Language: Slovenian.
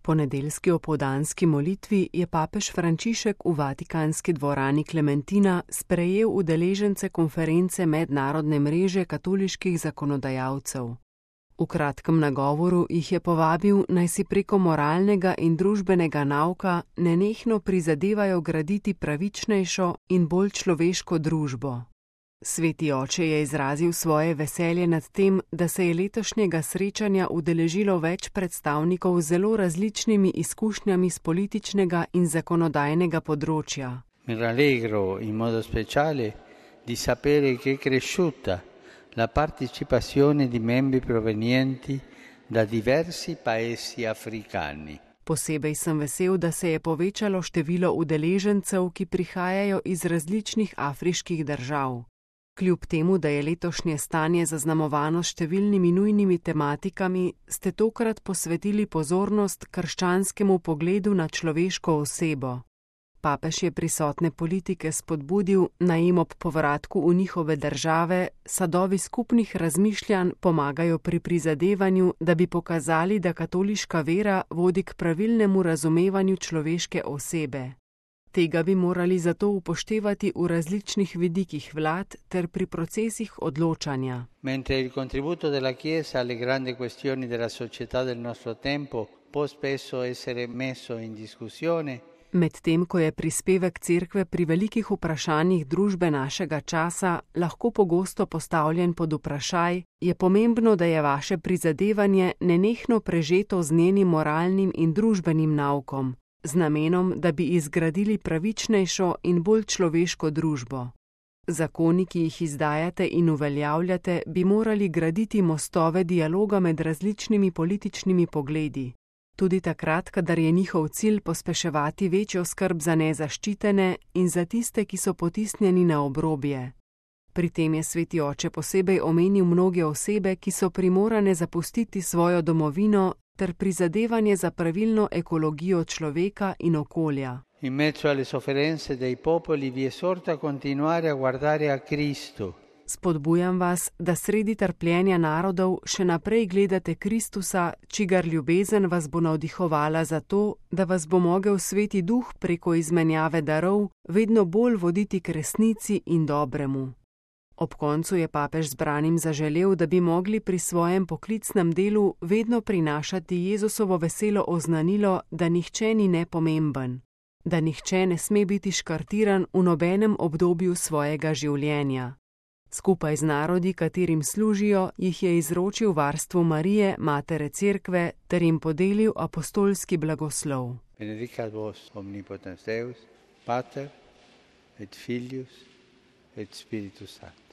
Po nedeljski opoldanski molitvi je papež Frančišek v vatikanski dvorani Klementina sprejel udeležence konference Mednarodne mreže katoliških zakonodajalcev. V kratkem nagovoru jih je povabil, naj si preko moralnega in družbenega nauka nenehno prizadevajo graditi pravičnejšo in bolj človeško družbo. Sveti oče je izrazil svoje veselje nad tem, da se je letošnjega srečanja udeležilo več predstavnikov z zelo različnimi izkušnjami z političnega in zakonodajnega področja. Mi rallegro in modo speciale di sapere che è cresciuta la partecipazione di membri provenienti da diversi paesi africani. Posebej sem vesel, da se je povečalo število udeležencev, ki prihajajo iz različnih afriških držav. Kljub temu, da je letošnje stanje zaznamovano s številnimi nujnimi tematikami, ste tokrat posvetili pozornost krščanskemu pogledu na človeško osebo. Papež je prisotne politike spodbudil, naj jim ob povratku v njihove države sadovi skupnih razmišljanj pomagajo pri prizadevanju, da bi pokazali, da katoliška vera vodi k pravilnemu razumevanju človeške osebe. Tega bi morali zato upoštevati v različnih vidikih vlad ter pri procesih odločanja. Mentre il contributo della Chiesa alle grandi questioni della società del nostro tempo può spesso essere messo in discussione, Medtem ko je prispevek cerkve pri velikih vprašanjih družbe našega časa lahko pogosto postavljen pod vprašaj, je pomembno, da je vaše prizadevanje nenehno prežeto z njenim moralnim in družbenim naukom, z namenom, da bi izgradili pravičnejšo in bolj človeško družbo. Zakoni, ki jih izdajate in uveljavljate, bi morali graditi mostove dialoga med različnimi političnimi pogledi. Tudi takrat, kadar je njihov cilj pospeševati večjo skrb za nezaščitene in za tiste, ki so potisnjeni na obrobje. Pri tem je sveti oče posebej omenil mnoge osebe, ki so primorane zapustiti svojo domovino ter prizadevanje za pravilno ekologijo človeka in okolja. In mezzo alle sofferenze dei popoli vi esorto a continuare a guardare a Cristo. Spodbujam vas, da sredi trpljenja narodov še naprej gledate Kristusa, čigar ljubezen vas bo navdihovala za to, da vas bo mogel sveti duh preko izmenjave darov vedno bolj voditi k resnici in dobremu. Ob koncu je papež zbranim zaželel, da bi mogli pri svojem poklicnem delu vedno prinašati Jezusovo veselo oznanilo, da nihče ni nepomemben, da nihče ne sme biti škartiran v nobenem obdobju svojega življenja. Skupaj z narodi, katerim služijo, jih je izročil varstvu Marije, matere cerkve, ter jim podelil apostolski blagoslov. Benedicat vos omnipotens Deus, Pater et Filius et Spiritus Sanctus.